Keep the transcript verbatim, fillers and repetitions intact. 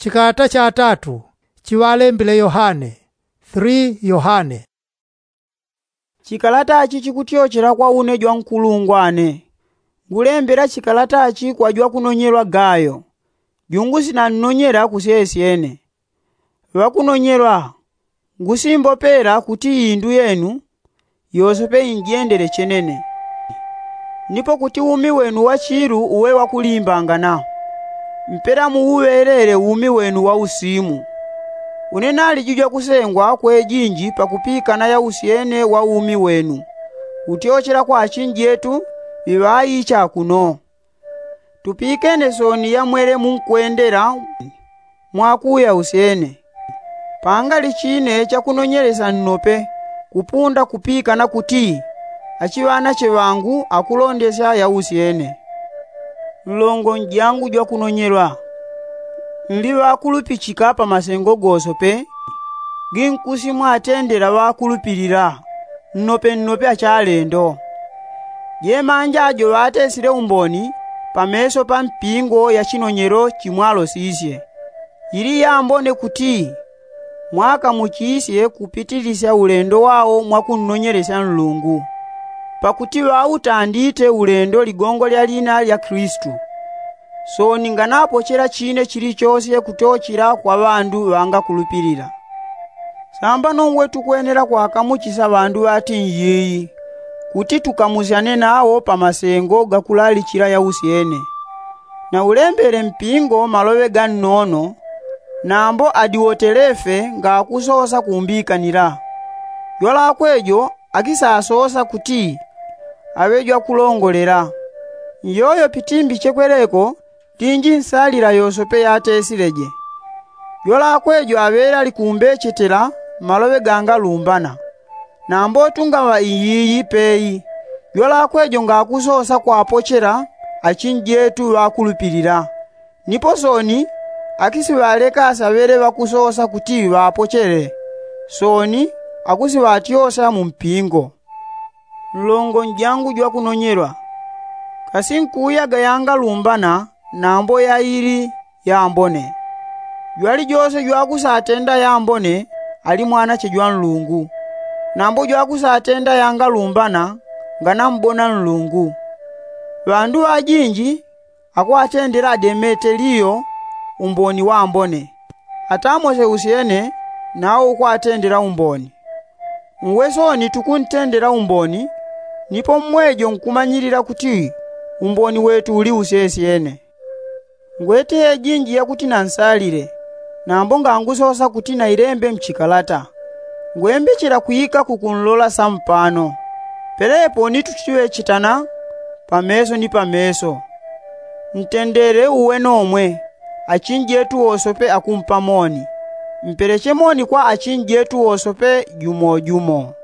Chikalata cha tatu chiŵalembile yohane. Three yohane. Chikalata chi chikutyochela kwa une jwankulungwane. Ngulembela chikalata chi kwa jwakunonyelwa gayo, jungusinannonyela kusyesyene. Ŵakunonyelwa, ngusimbopela kuti indu yenu yosepe injendele chenene, nipo kuti umi wenu wa chilu uwe wakulimbangana, mpela muuŵelele umi wenu wa usimu. Une naliji jwakusengwa kwejinji pakupikana yausyene wa umi wenu, kutyochela kwa achinjetu ŵiŵaicha kuno. Tupikene soni yamwele munkwendela mwakuya usyene. Pangali chine chakunonyelesya nnope kupunda kupikana kuti achiŵanache ŵangu akulondesya yausyene. Nlongo njangu jwakunonyelwa, nli ŵakulupichika pa masengo gosope ginkusi mwatendela ŵakulupilila nnope nnope achalendo. Jemanja jo ŵatesile umboni pameso pa mpingo ya chinonyelo chimwalosisye, ili yambone kuti mwakamuchisye kupitilisya ulendo wao mwakunnonyelesya nlungu, pakuti ŵautandite ulendo ligongo lya lina lya kilisitu. Soni nganapochela chine chilichosye kutochela kwa ŵandu ŵangakulupilila. Sambano ngwe tukwenela kwakamuchisya ŵandu ŵatinjiyi kuti tukamusyane nawo pa masengo gakulalichila yausyene. Naulembele mpingo maloŵe gannono, nambo adiwotelefe ngakusosa kumbikanila. Jwalakwe jo akisasosa kuti aŵe jwakulongolela. Nyoyo pitimbi chekweleko tinji nsalila yosope yatesileje. Jwalakwe jo aŵele alikumbechetela maloŵe gangalumbana. Nambo tungaŵa iyiyi peyi, jwalakwe jo ngakusosa kwapochela achinjetu ŵakulupilila. Nipo soni akisiŵaleka asaŵele ŵakusosa kuti ŵapochele, soni akusiŵatyosya mu mpingo. Nlongo njangu jwakunonyelwa, kasi nkuuyaga yangalumbana nambo yaili yambone. Jwalijose jwakusatenda yambone ali mwanache jwa nlungu, nambo jwakusatenda yangalumbana nganambona nlungu. Ŵandu ŵajinji akwatendela demeteliyo umboni wambone, atamose usyene nawo ukwatendela umboni. Ngwe soni tukuntendela umboni, nipo mmwejo nkumanyilila kuti umboni wetu uli usesyene. Ngwete ejinji yakuti nansalile, nambo ngangusosa kuti nailembe mchikalata. Ngwembechela kwika kukunlola sampano, pelepo ni tutiŵechitana pameso ni pameso. Ntendele uwe nomwe, achinjetu wosope akumpa moni. Mpeleche moni kwa achinjetu wosope jumo jumo.